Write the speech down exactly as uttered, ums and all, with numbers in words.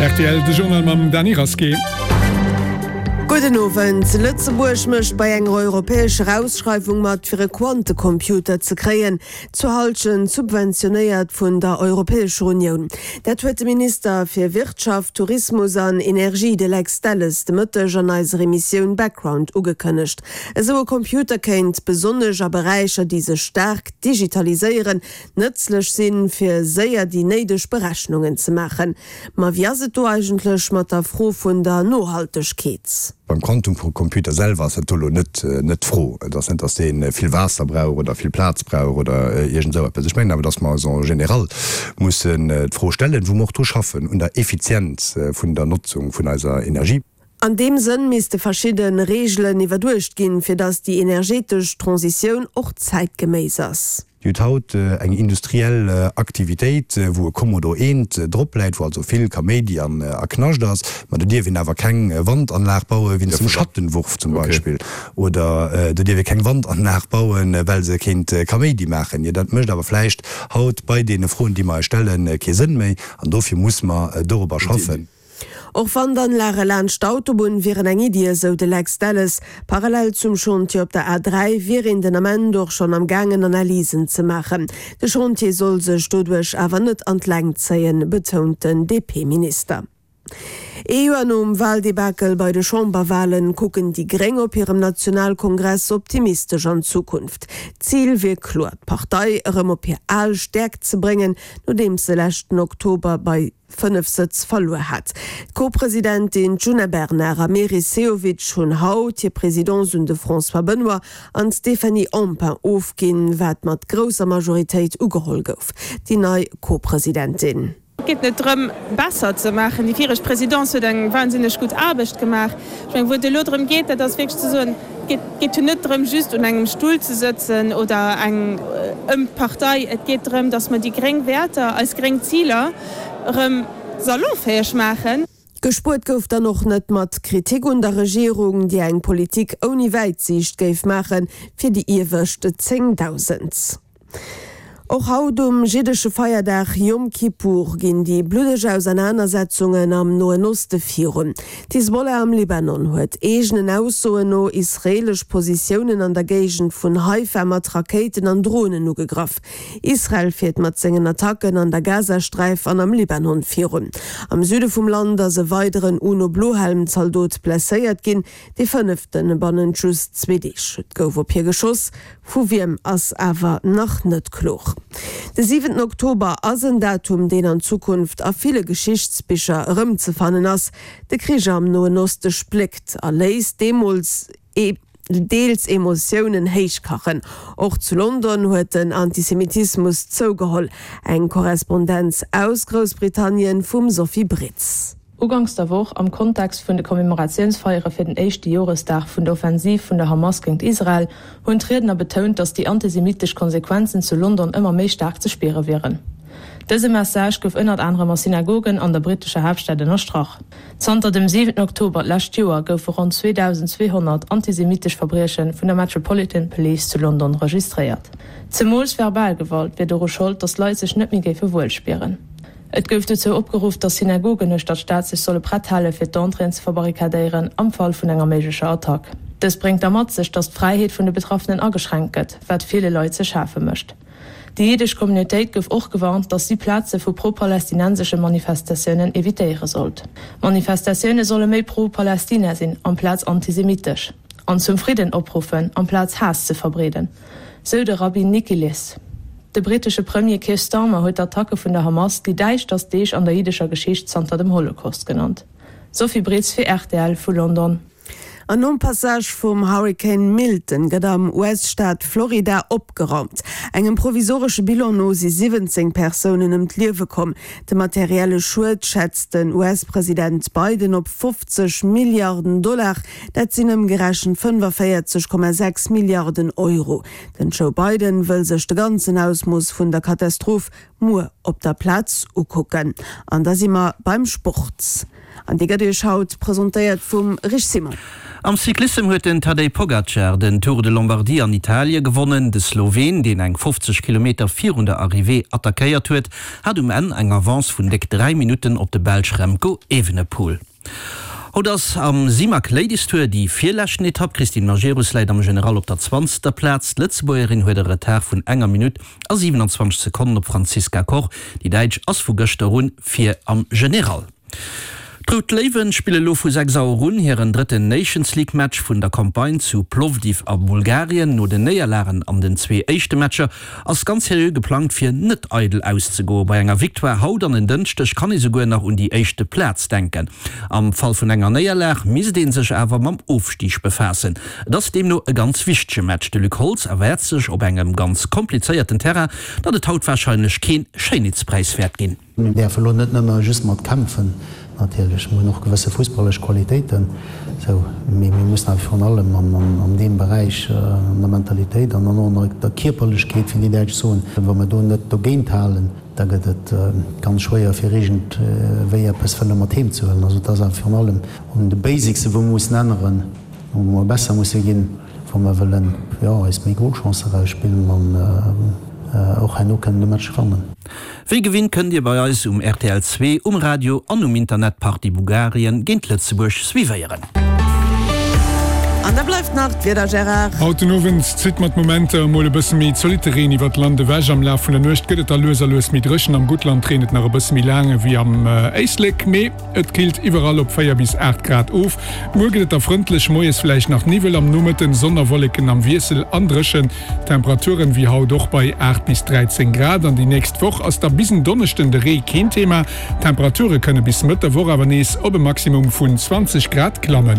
Rtl, de Journal mam Dany Rasqué. Gudden Owend. Lëtzebuerg mécht bei enger europäescher Ausschreiwung mat fir e Quantecomputer ze kréien, zur Hallschent subventionéiert vun der Europäescher Unioun. Dat huet de Minister fir Wirtschaft, Tourismus an Energie, de Lex Delles, de Mëtteg an eiser Emissioun Background ugekënnegt. Esou e Computer kéint besonnesch a Beräicher, déi sech staark digitaliséieren, nëtzlech sinn, fir séier déi néideg Berechnungen ze maachen. Ma wéi ass et do eigentlech mat der Fro vun der Nohaltegkeet? Beim Quantumcomputer selwer ass dat do elo net net d'Fro. Et ass net, datt dee vill Waasser brauch oder vill Plaz brauch oder iergend esou eppes. Ech mengen awer, datt mer eis en général mussen d'Fro stellen, wou mer och dru schaffen, un der Effizienz vun der Notzung vun eiser Energie. An deem Sënn misste verschidde Reegelen iwwerduecht ginn, fir datt déi energetesch Transitioun och zäitgeméiss ass. Dir hutt haut eng industriell Aktivitéit, wou e Commodore eent drop läit, wou also vill Kaméidi an a Knascht ass, ma do dierf een awer keng Wandanlag baue wéinst dem Schattenwurf zum Beispill, oder do dierf ee keng Wandanlag bauen, well se kéint Kaméidi maachen. Jo, dat mécht awer vläicht haut bei deene Froen, déi mer eis stellen, kee Sënn méi, an dofir muss mer dorobber schaffen. Och Wandanlage laanscht d'Autobunn wieren eng Iddi, esou de Lex Delles. Parallel zum Chantier op der A dräi wier een den Ament och schonn am gaangen Analysen ze maachen. De Chantier soll sech doduerch awer net an d'Längt zéien, betount den D P-Minister. Ee Joer nom Waldebakel bei de Chamberwalen kucken déi Gréng op hirem Nationalkongress optimistesch an d'Zukunft. D'Zil wier kloer, d'Partei erëm op hir al Stäerkt ze bréngen, nodeems se leschten Oktober bei fënnef Sëtz verluer hat. D'Co-Presidentin Djuna Bernard a Meris Sehovic hunn haut hir Presidence un de François Benoy an d'Stéphanie Empain ofginn, wat mat grousser Majoritéit ugeholl gouf. Déi nei Co-Presidentin. Et geet net drëm, besser ze maachen. Déi viregt Présidence huet eng wahnsinneg gutt Aarbecht gemaach. Ech mengen, wou et elo drëm geet, dat ass wierklech ze soen, et geet jo net drëm, just un engem Stull ze sëtzen oder eng ëm d'Partei. Et geet drëm, datt mer déi gréng Wäerter, eis gréng Ziler erëm salonfäeg maachen. Gespuert gouf dann och net mat Kritik un der Regierung, déi eng Politik ouni Wäitsiicht géif maachen, fir déi iewescht zéngdausend. Och haut um jiddesche Feierdag Yom Kippur ginn déi bluddeg Ausernanersetzungen am Noen Oste virun. D'Hisbollah am Libanon huet eegenen Aussoen no israeelesch Positiounen an der Géigend vun Haifa mat Rakéiten an Dronen ugegraff. Israel fiert mat sengen Attacken an der Gazasträif an am Libanon virun. Am Süde vum Land ass e weideren UNO-Blohelm-Zaldot blesséiert ginn, dee fënnefte bannent just zwee Deeg. Et gouf op hie geschoss, vu wiem ass awer nach net kloer. De siwenten Oktober ass en Datum, deen an Zukunft a ville Geschichtsbicher erëmzefannen ass. De Krich am Noen Oste spléckt a léisst deemools deels Emotiounen héichkachen. Och zu London huet den Antisemitismus zougeholl. Eng Korrespondenz aus Groussbritannien vum Sophie Britz. Uganks der Woch, am Kontext vun de Commemoratiounsfeiere fir den éischte Joresdag vun der Offensiv vun der Hamas géint Israel, hunn d'Riedner betount, datt déi antisemitesch Konsequenzen zu London ëmmer méi staark ze spiere wieren. Dëse Message gouf ënnert anerem a Synagogen an der brittescher Haaptstad ënnerstrach. Zanter dem siwenten Oktober d'lescht Joer goufe ronn zweedausendzweehonnert antisemitesch Verbrieche vun der Metropolitan Police zu London registréiert. Zemools verbal Gewalt wier doru Schold, datt d'Leit sech net méi géife wuel spieren. Et gouf dozou opgeruff, datt Synagogen uechter d'Stad sech solle prett hale fir d'Entréeën ze verbarrikadéieren am Fall vun enger méiglecher Attack. Dëst bréngt da mat sech, datt d'Fräiheet vun de Betraffenen ageschränkt gëtt, wat ville Leit ze schafe mécht. Déi jiddesch Communautéit gouf och gewarnt, datt si Plaze vu pro-palästinensesche Manifestatiounen evitéiere sollt. D'Manifestatioune solle méi pro-Palästina sinn amplaz antisemitesch, an zum Fridden opruffen amplaz Haass ze verbreeden, sou de Rabbi Nikilis. De brittesche Premier Keir Starmer huet d'Attacke vun der Hamas déi däischterst Deeg an der jiddescher Geschicht zanter dem Holocaust genannt. Sophie Britz fir R T L vu London. An nom Passage vum Hurrikan Milton gëtt am U S-Staat Florida opgeraumt. Engem provisoresche Bilan no si siwwenzéng Persounen ëm d'Liewe komm. De materielle Schued schätzt den U S-President Biden op fofzeg Milliarden Dollar, dat sinn ëmgerechent fënnefenvéierzeg Komma sechs Milliarden Euro. Den Joe Biden wëll sech de ganzen Ausmooss vun der Katastroph muer op der Plaz ukucken. An da si mer beim Sport. An déi gëtt Iech haut presentéiert vum Rich Simon. Am Cyclissem huet den Tadej Pogacar den Tour de Lombardie an Italie gewonnen. De Sloween, deen eng fofzeg Kilometer virun der Arrivée attackéiert huet, hat um Enn eng Avance vun déck dräi Minutten op de Belsch Remco Evenepoel. Haut ass am Simac Ladies Tour déi virleschten Etapp. D'Christine Majerus läit am General op der zwanzegster Plaz. D'Lëtzebuergerin huet e Retard vun enger Minutt a siwenanzwanzeg Sekonnen op d'Franziska Koch. Déi Däitsch ass vu gëschter un vir am General. D'Rout Léiwen spille lo vu sechs Auer un hiren drëtten Nations League Match vun der Campagne zu Plovdiv a Bulgarien. No den Néierlagen an den zwee éischte Matcher ass ganz seriö geplangt fir net eidel auszegoen. Bei enger Victoire haut an en Dënschdeg kann ee souguer nach un déi éischte Plaz denken. Am Fall vun enger Néierlag misst ee sech awer mam Ofstig befaassen. Et ass deemno e ganz wichtege Match. De Luc Holtz erwaart sech op engem ganz komplizéierten Terrain, datt et haut warscheinlech keen Schéinheetspräis wäert ginn. Mir däerfe lo net nëmme just mat kämpfen, natierlech, mir hunn och gewësse fussballesch Qualitéiten, sou, mee mir mussen awer virun allem an deem Beräich, an der Mentalitéit an dann och an der Kierperlechkeet, wéi déi Däitsch soen, wa mir do net dogéint halen, da gëtt et ganz schwéier fir iergendwéi eppes wëlle mat heem ze huelen. Also et ass awer virun allem un de Basicsen, wou mir mussen änneren, wou mer besser musse ginn, wa mer wëllen, jo, eis méi Golchancen erausspillen an och herno kënnen de Match gewannen. Wéi gewinnt kënnt Dir bei eis um rtl zwee, um Radio an um Internet d'Partie Bulgarien géint Lëtzebuerg suivéieren. An da bleift nach d'Wieder, Gérard. Haut den Owend zitt mat Momenter emol e bësse méi zolitte Reen iwwert d'Land ewech. Am Laf vun der Nuecht gëtt et da lues a lues méi dréchen. Am Guttland reent et nach e bësse méi laang ewéi am Éislek, mee et killt iwwerall op véier bis aacht Grad of. Muer gëtt et da frëndlech, moies vläicht nach Niwwel, am Nomëtten Sonn a Wolleken am Wiessel an dréchen. Temperaturen wéi haut och bei aacht bis dräizéng Grad. An déi nächst Woch ass da bis en Donneschden de Ree keen Thema. D'Temperature kënne bis Mëtt der Woch awer nees op e Maximum vun zwanzeg Grad klammen.